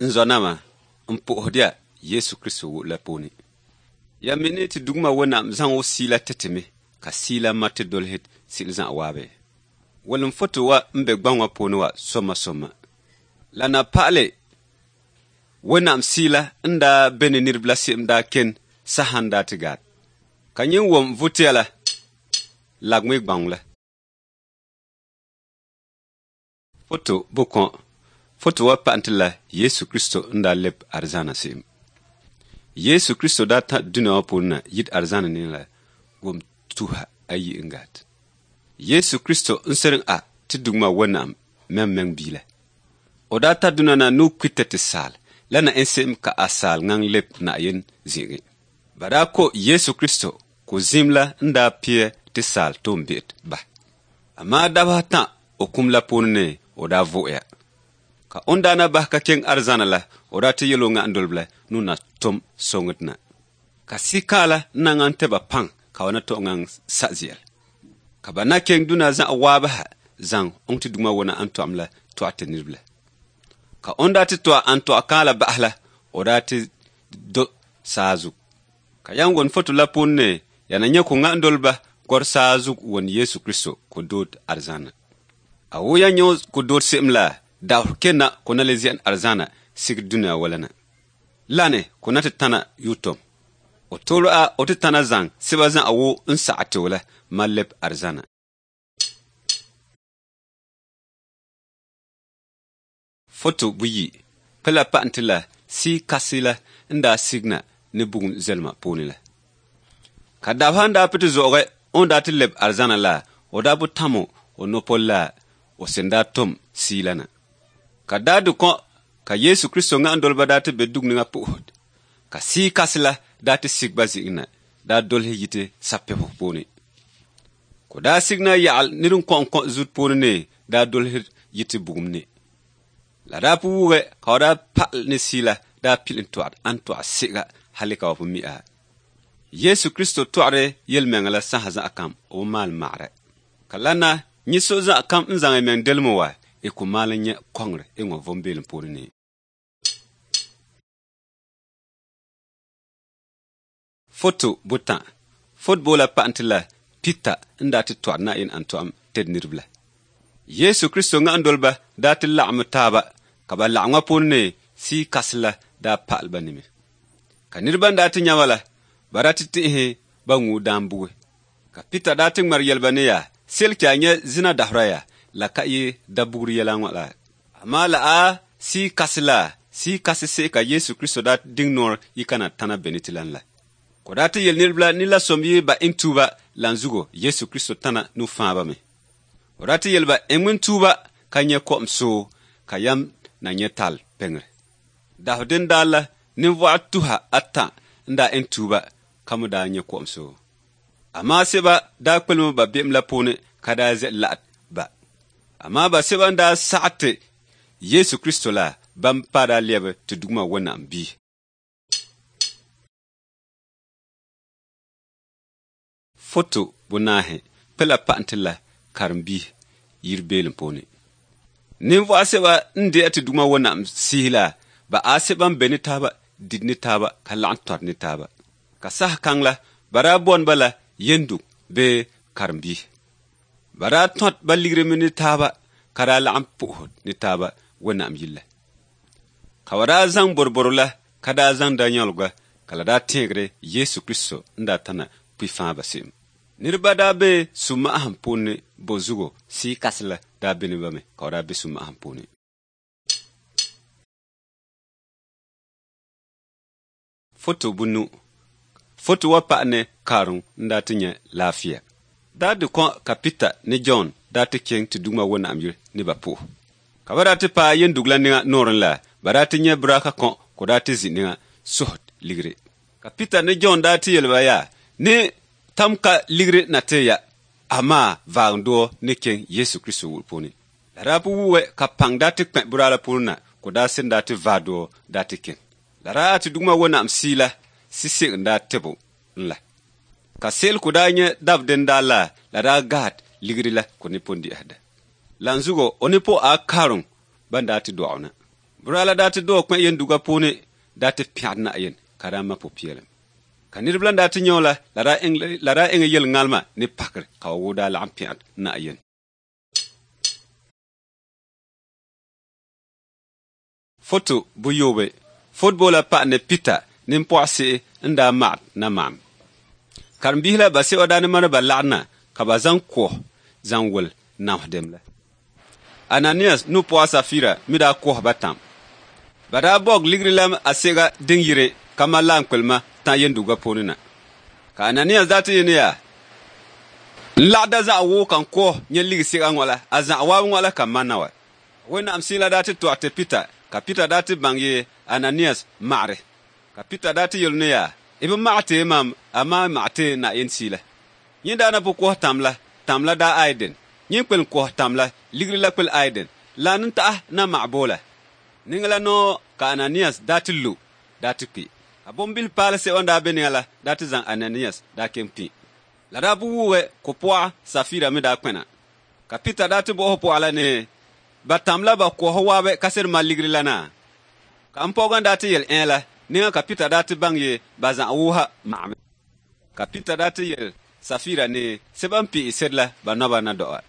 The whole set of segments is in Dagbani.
N zɔnama, n puhiri Yesu Kristo la puuni. Ya mi ni ti dugma wẽnnaam zaŋ o siila ti timi ka siila ma ti dolsi sɩl zã waabe. Wolem foto wa n be gbaŋ wã puuni wa sõma sõma. La na pa'ale wẽnnaam siila n daa be ne ned la se'em daa ken sa sãn daa tɩ gaat. Ka yẽ wom vʋtɩa la lagme gbaŋ la. Foto bʋ-kõ foto wa pa'al tɩ la Yesu Kristo n daa leb arzãna se'em. Yesu Kristo daa tã dũniyã wã puuni na yit arzãna ne la gom tusa ayi n gaat. Yesu Kristo n seren a tɩ dugmã wẽnnaam meng meng biila. O daa ta dũniyã na nu-kʋɩtã tɩ saal la na ẽ se'em ka a saal ŋãng leb na-yen zĩigẽ. Ba daa ko Yesu Kristo ko zĩim la n daa pɩɛ tɩ saal toom-be'et ba. Amaa dabs tã o kũm la puuni ne o daa vo'oya. Ka n daa na bas ka keng arzãna la o daa tɩ yel-wẽngã n dolb la nu na tʋm sõngd na. Ka sɩ-kãala n na ŋãng tɩ ba pãng ka wa na tog ŋãng sa zɩɛl. Ka ba na keng dũniyã zã waabsã zãng n tɩ dugmã wẽna n toam la toag tɩ ned la. Ka n daa tɩ toa n toag kãala bas la o daa tɩ do saa zug. Ka yãmb wʋn foto la pʋʋn ne yaa na yẽ kõ ŋa n dolba gor saa zug wʋn Yesu Kristo ko dood arzãna. A wo ya yẽ ko dood se'em la daoor kena ko na le zẽn arzãna sig dũniyã wala na. La ne ko na tɩ tãna yʋ-tom. O tol a o tɩ tãna zãng sɩba zã a wo n sag tɩ la ma leb arzãna. Foto buyi pɩ la pa'an tɩ la sɩ kasi la n daa signa ne bugum zɛlma puuni la. Ka dabsa n daa pɩ tɩ zo'oge n daa tɩ leb arzãna la o daa bʋ tãmo o nopol la o sẽn daa tʋm sɩɩla na. Ka daa dɩ kõ ka Yesu Kristo ŋa n dolba daa tɩ be dug ninga pʋʋsd. Ka sɩ kasi la daa tɩ sig ba zĩig na daa dolsɩ yitɩ sa-pɛbs puuni. Ko daa signa yagl ned n kõ n kõ zut puuni ne daa dolsd yitɩ bugum ne. La daa pʋ wʋgɛ ka wa daa pa'al ne sɩɩla daa pil n toagd ãn toag sega hali ka wa pʋ mi a. Yesu Kristo toagde yel-mengã la sãsa zã kam b maal magrɛ. Ka la na yẽ so zã kam n zãng y meng delem wa y kõ maal n yẽ kõngre y wã vom beelem puuni ne. Foto bʋtã fot boola pa'an tɩ la Pita n daa tɩ toagd na-yen ãn toam tɩ ned la. Yesu Kristo ŋa n doli ba daa ti laɣimi taaba, ka ba laɣiŋɔ puuni ni sii kasi la daa pa'ali ba nimi. Ka niriba n daa ti nya ba la, ba daa ti ti'ihi ba ŋuu daan bugi. Ka Pita daa ti ŋmari yɛli ba ni yaa, seli ti a nyɛ zina dahura ya, la ka yi da bugiri yɛla ŋɔ la. Amaa la a sii kasi la, sii kasi se'e ka Yesu Kristo daa diŋ nɔɔri yi kana tana beni ti lan la. Ko daa ti yeli niriba la ni la som yi ba n tuuba lan zugo Yesu Kristo tana nu fãa ba mi. O daa ti yeli ba eŋ tuuba ka nyɛ ko'om soo ka yam na nyɛ tal peŋri. Dahu din daa la ninvuɣu 300 n daa n tuuba ka mi daa nyɛ ko'om soo. Amaa sɛba daa kpelimi ba be'em la puuni ka daa zɛ laɣat ba. Amaa ba sɛba n daa saɣa ti Yesu Kristo la ban pa daa lɛbi ti dugma Wẽnnaam bia. Foto 4 kpela paɣa la karimbihi yiri beelim puuni. Ninvuɣu sɛba n deei ti dugma Wẽnnaam sihi la ba a sɛba n be ni taaba di ni taaba ka laɣim tɔri ni taaba. Ka saha kaŋ la ba daa booni ba la yendug bee karimbihi. Ba daa tõt ba ligrimi ni taaba ka daa laɣim puhi ni taaba Wẽnnaam yilla. Ka ba daa zaŋ boroboro la ka daa zaŋ da yãlga ka la daa tẽegre Yesu Kristo n daa tana kpi fãa ba se'em. Niriba daa be sũ-ma'asem puuni bo zugo sii kasi la daa be ne ba me ka ba daa be sũ-ma'asem puuni. Foto 5. Foto wa paɣa ni karim n daa ti nyɛ laafia. Daa di kõ ka Pita ni John daa ti kɛŋ ti dugma Wẽnnaam yiri ni ba puhi. Ka ba daa ti paai yendug la niŋa noorẽ la, ba daa ti nyɛ buraaka kõ ka daa ti zĩ niŋa suhi ligri. Ka Pita ni John daa ti yeli ba yaa, ni tam ka ligri na ti ya, amaa vaagndoo ni kɛŋ Yesu Kristo wul puuni. La daa pu wuuwɛ ka pãng daa ti kpẽ buraa la puuni na, ka daa sẽn daa ti vaag doo daa ti kɛŋ. La daa ti dugma Wẽnnaam sii la sɩseg n daa tɩbo n la. Ka seel ku daa nyɛ dab din daa la, la daa gahat ligri la ku ni pon di'isda. La n zugo o ni po a karum ban daa ti dɔɣu na. Buraa la daa ti dɔɔ kpẽ yenduga puuni daa ti pɛgd na'ayen ka daa ma pʋ-peelem. Ka niriba la daa ti nyɛ o la, la daa eŋ yel ŋalma ni pakir ka ba woo daa laɣim pɛgd na'ayen. Foto 7. Fotbola paɣa ni Pita nin-pɔɣu se'e n daa maɣat na maɣam. Karimbihi la ba sɛba daa ni mani ba laɣa na ka ba zaŋ koh zaŋ wol namsdem la. Ananias nu pɔɣa Safira mi daa koh ba tãm. Ba daa bɔg ligri la a sega din yire ka ma laam kpelma tã yenduga puuni na. Ka Ananias daa ti yeni yaa, n laɣada zaɣ woo kan koh nyɛ ligi sega ŋɔ la, a zaɣ waab ŋɔ la ka manna wa. Wẽnnaam sɩɩla daa ti tɔg tɩ Pita, ka Pita daa ti bãng ye Ananias magre. Ka Pita daa ti yel ne yaa, y bi mag tɩ mam, amaa mag tɩ Na'ayen sɩɩla. Yẽ daa na pʋ kos tãm la, tãm la daa aiden. Yẽ kpel n kos tãm la, ligri la kpel aiden. La n ta'a na mag boola. Ning la noo ka Ananias daa ti lu, daa ti kpi. Ka bõn-bil paal sɛba n daa be nengã la daa ti zãng Ananias daa ken pĩ. La daa bʋ wuuge ko pɔga Safira me daa kpẽna. Ka Pita daa tɩ bɔs pɔga la ne ba tãm la ba kos waabe ka sed ma ligri la na. Ka n paoogã daa tɩ yel ẽ la, nengã ka Pita daa tɩ bãng ye ba zã wʋʋsa magame. Ka Pita daa tɩ yel Safira ne sɛba n pɩɩ sed la ba noaba na doa.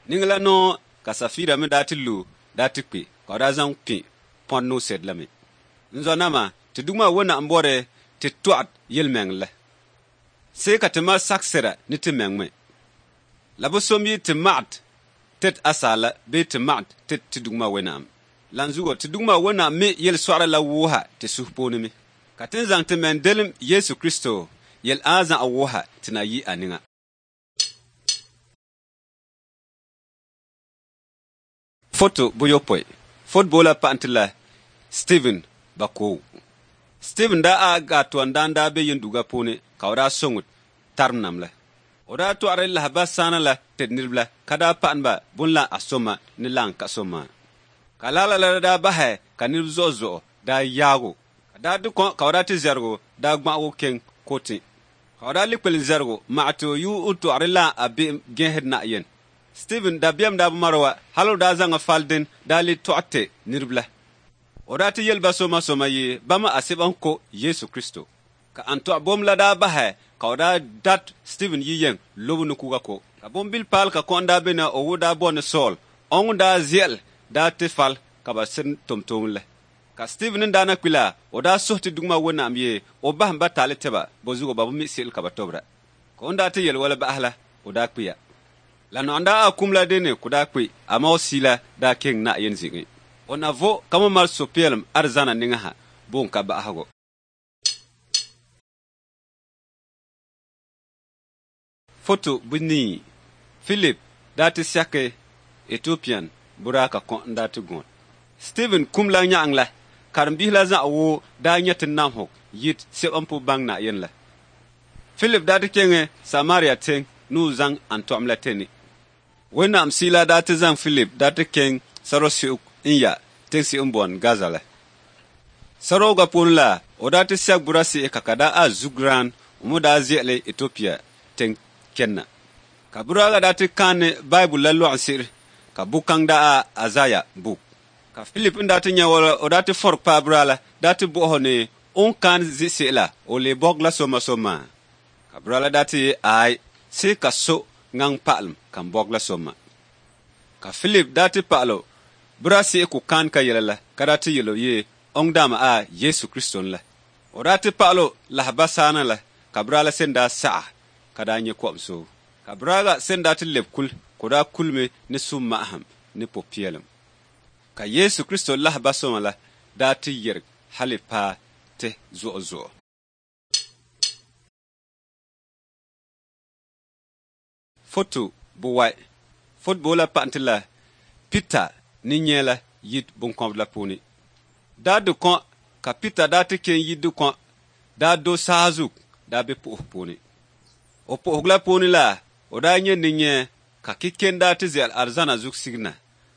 Ning la noo ka Safira me daa tɩ lu daa tɩ kpi ka daa zãng pĩ põd no sed la me. N zoa nama tɩ dugmã Wẽnnaam bɔre tɩ toagd yel-meng la. See ka tɩ ma sak sɩda ne tɩ meng me. La bɩ som yɩ tɩ magd tɩ d asaala bee tɩ magd tɩ tɩ dugmã Wẽnnaam. La n zugo tɩ dugmã Wẽnnaam me yel-soagda la wʋʋsa tɩ sus poone me. Ka tɩ n zãng tɩ men delem Yesu Kristo yel ãa zã'a wʋʋsa tɩ na yɩ a nengã. Foto 7. Fotboola paɣa tɩ la Stephen Bakow. Stephen daa a gaa tɔn daan daa be yenduga puuni ka o daa sõŋd tarim nam la. O daa tɔɣeri lahaba sãana la tɩ niraba la ka daa paɣani bõn la a sõma ni la n ka sõma. Ka lala la daa basɛ ka niraba zo'e zo'e daa yaago. Ka daa dɩ kõ ka o daa tɩ zɛrgo daa gbã'ago kẽng kotẽ. Ka o daa le kpel n zɛrgo mag tɩ o yʋ n tɔgr la a be'em gẽesd na-yen. Stephen dabiɛm daa bi mara wa hal o daa zãnga faldẽn daa le tɔg tɩ niraba la. O daa tɩ yel ba sõma sõma ye bãmb a sẽb n ko Yesu Kristo. Ka ãn tɔg bom la daa basɛ ka o daa dat Stephen yi yɛng lob ne kuga ko. Ka bõn-bil paal ka kõ n daa be na o wʋ daa bao ne Saul. Ɔŋ daa ze'el daa ti fal ka ba sin tomtom le. Ka Stephen n daa na kpi la, o daa suhi ti Duuma Wɛnnaam yee o bahim ba taali ti ba, bɔzuɣu ba bi mi se'el ka ba tobira. Ka o ni daa ti yɛli wala bahi la, o daa kpiya. La nɔɣu n daa a kum la dini ka o daa kpi, amaa o siila daa kɛŋ Naɣayini ziɣi. O na vo ka mo mali suhupiɛlim arizana niŋa ha, bo n-ka bahigu. Foto bunii, Philip daa ti sɛki Ethiopian buraa ka kɔŋ n daa ti gɔn. Stephen kum la nyaɣiŋ la, karimbihi la zaɣ woo daa nyɛ ti namhug yit sɛba n-pu baŋ Naɣayini la. Philip daa ti keŋɛ Samaria teŋ ni o zaŋ antɔɣim la ti ni. Wɛnnaam siila daa ti zaŋ Philip daa ti keŋ sarɔsiɣu n ya teŋsi n bɔn Gaza la. Sarɔga puuni la, o daa ti sɛg bura siɣi ka ka daa a zugraan o mi daa ze'ele Ethiopia teŋ kenna. Ka buraaga daa ti kaani Baibul la lɔɣinse'ere ka bukaŋ daa a Azaya buk. Ka Philip n daa ti nya wala o daa ti fɔri kpaa buraa la daa ti bɔhi o ni o ni kaani ziɣise'e la o lee bɔgi la soma soma. Ka buraa la daa ti ye aai see ka so ŋaŋ pa'alim ka n bɔgi la soma. Ka Philip daa ti pa'ali o buraa se'e ku kaan ka yɛla la ka daa ti yɛl o ye ɔŋ daama a Yesu Kristo n la. O daa ti pa'ali o lahaba saana la ka buraa la sen daa saɣa ka daa nyɛ kom so. Ka buraaga sen daa ti leb kuli ka o daa kulimi ni summa'ahim ni pupiɛlim. Ka Yesu Kristo lahaba soma la daa ti yɛrig hali paai ti zuɣu zuɣu. Foto buwai, Fotoboo la paɣinti la Pita ni nyɛ la yid binkɔbiri la puuni. Daa di kɔŋ ka Pita daa ti kɛn yi di kɔŋ daa do saazug daa be puhigu puuni. O puhigu la puuni la, o daa nyɛ ni nyɛ ka kiken daa ti ze'el arizana zug sigina,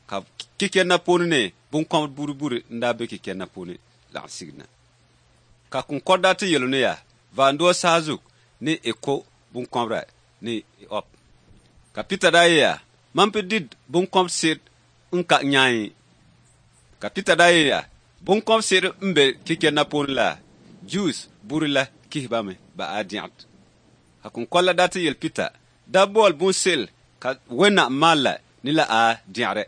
ka kiken na puuni ni binkɔbiri buri buri n daa be kiken na puuni laɣim sigina. Ka kunkɔri daa ti yɛl o ni ya, Vaanduo saazug ni e ko binkɔbira ni e ɔb. Ka Pita daa yeya, Man pi di binkɔb se'er n ka nyaai. Ka Pita daa yeya, Binkɔb se'er n be kiken na puuni la, Jews buuri la kihi ba mi ba a diɛɣit. Ka kunkɔri la daa ti yɛli Pita, Da booli bunse'el ka wɛna maal la ni la a diɛɣiri.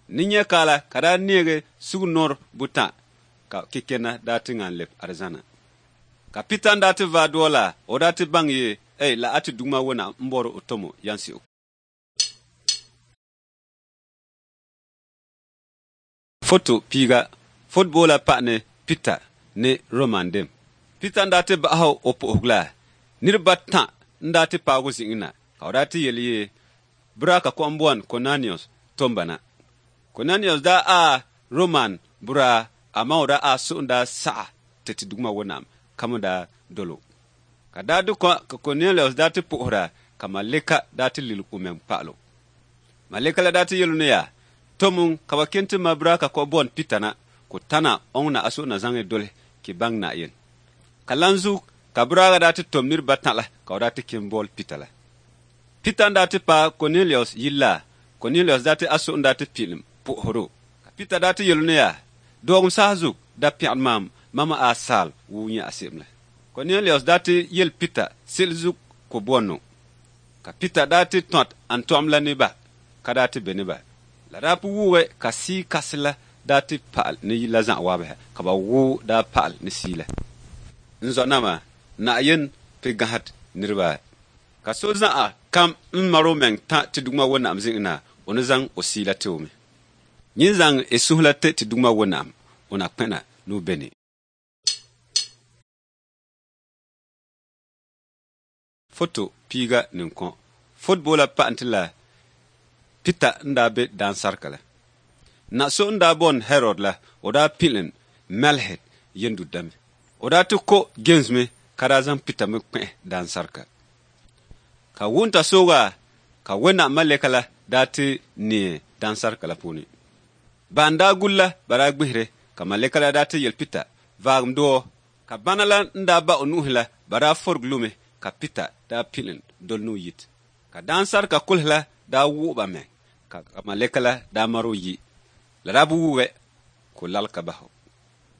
Ni nyɛ kaala ka daa neegi sugunɔr butã ka kikɛna daa ti ŋan leb arizana. Ka Pita n daa ti vaai dɔɔ la, o daa ti baŋ ye, Ei, la a ti Duuma wɛna m-bɔri o tomo yansiɣu. Foto piiga, Fotoboo la paɣa ni Pita ni Roman dim. Pita n daa ti bahi o puhigu la, niriba tã n daa ti paagi o ziɣi na, ka o daa ti yɛli ye, Buraa ka kɔɣim bɔni Konanius tom ba na. Konanius daa a Roman buraa, amaa o daa a suhu n daa saɣi ti ti Duuma Wɛnnaam ka mi daa dol o. Ka daa di kɔŋ ka Konelius daa ti puhira, ka maleka daa ti lili o mɛŋ paɣil o. Maleka la daa ti yɛl o ni ya, Tom ka ba kɛn ti ma buraa ka kɔɣi bɔni Pita na, ka o tana ɔŋ na a suhu na zaŋ doli ki baŋ Naɣayini. Ka lan zuɣu ka buraaga daa ti tom niriba tã la ka o daa ti kɛn boli Pita la. Pita n daa ti paai Konelius yili la, Konelius daa ti a suhu n daa ti pilim puhiri o. Ka Pita daa ti yɛl o ni ya, Dɔɔgim saha zuɣu da piɛɣiri mam, mama a saal wuu nyɛ a se'em la. Konelius daa ti yɛli Pita se'el zuɣu ka o bɔni o. Ka Pita daa ti tɔt antɔɣim la ni ba, ka daa ti be ni ba. La daa pu wuɣi ka sii kasi la daa ti pa'al ni yili la zaɣ waabiha, ka ba woo daa pa'al ni sii la. N zɔnama, Naɣayini pi gahit niriba. Ka so zaɣa kam n mari o mɛŋ ta ti Duuma Wɛnnaam ziɣi na, o ni zaŋ o sii la ti o mi. Nyin zaŋ e suhu la ti ti Duuma Wɛnnaam, o na kpɛna ni o be ni. Foto piiga ninkɔŋ. Fotoboo la paɣinti la Pita n daa be daansarika la. Na so n daa bɔni Herod la, o daa pilin Melhit yendu dami. O daa ti ko James mi ka daa zaŋ Pita mi kpɛhi daansarika. Ka wunta sooga ka wɛna maleka la daa ti neei daansarika la puuni. Ban daa guli la ba daa gbihiri ka maleka la daa ti yɛli Pita, Vaagim dɔɔ. Ka bana la n daa ba o nuhi la ba daa fɔrigi lumi ka Pita daa pilin doli ni o yit. Ka daansarika kulihi la daa wuɣi ba mɛ ka maleka la daa mari o yi. La daa bi wuɣi ka o lali ka bahi o.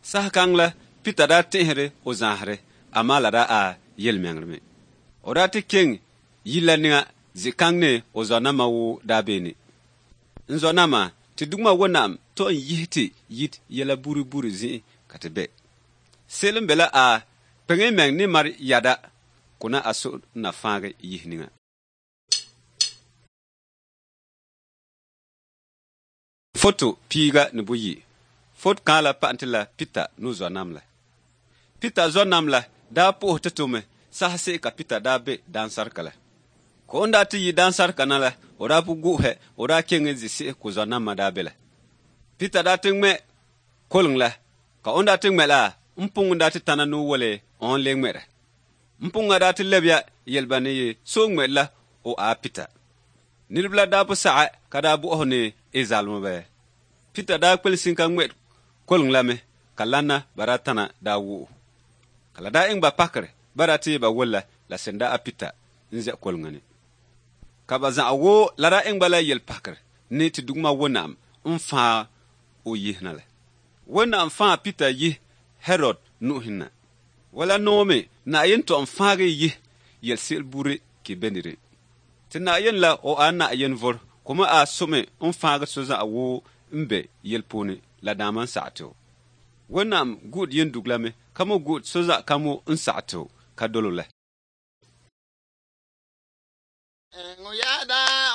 Saha kaŋ la Pita daa tihiri o zaahiri, amaa la daa a yɛlimaŋli mi. O daa ti kɛŋ yili la niŋa zikaŋ ni o zɔnama woo daa be ni. N zɔ-nama, tɩ dugmã Wẽnnaam tɔ n yis tɩ yit yɛla buuri buuri zĩ'i ka tɩ bɛ. Seel n be la a kpeng meng ne mar yada kõ na a so n na fãag yis ninga. Foto piiga ne bʋyi. Fot kãala pa'an tɩ la Pita no zoa-nam la. Pita zoa-nam la daa pʋʋs tɩ tʋme sas ka Pita daa be dãn-sarka la. Ka n daa tɩ yi dãn-sarka na la, o daa pʋ gʋ'usɛ, o daa kẽng n zĩ se'es kʋ zoa-nambã daa be la. Pita daa tɩ ŋmɛ koleng la, ka n daa tɩ ŋmɛ la, n pʋng daa tɩ tãna no wale n le ŋmɛra. N pʋnga daa tɩ leb ya yelba ne ye so ŋmɛd la o a Pita. Nidb la daa pʋ saga ka daa bʋs ne y zalem bɛ. Pita daa kpel sĩn ka ŋmɛd koleng lame ka lana ba daa tãna daa wʋʋ. Ka la daa ẽng ba pakre ba daa tɩ ba wolla la sẽn da a Pita n zɛ kolengã ne. Ka ba zã woo la daa ẽng ba la yel-pakre ne tɩ dugmã Wẽnnaam n fãag o yisna la. Wẽnnaam fãa Pita yis Herod nu'usẽ na. Wala noome Na'ayen tɔ n fãag y yis yel-se'er buuri kɩ be Tɩ Na'ayen la o a Na'ayen vor kʋma a some n fãag so zã woo n be yel pʋʋne la dãam n sag tɩ-o. Wẽnnaam gʋʋd yẽn-dug lame ka mo gʋʋd so zã kamo n sag tɩ-o ka dolo la. Yada.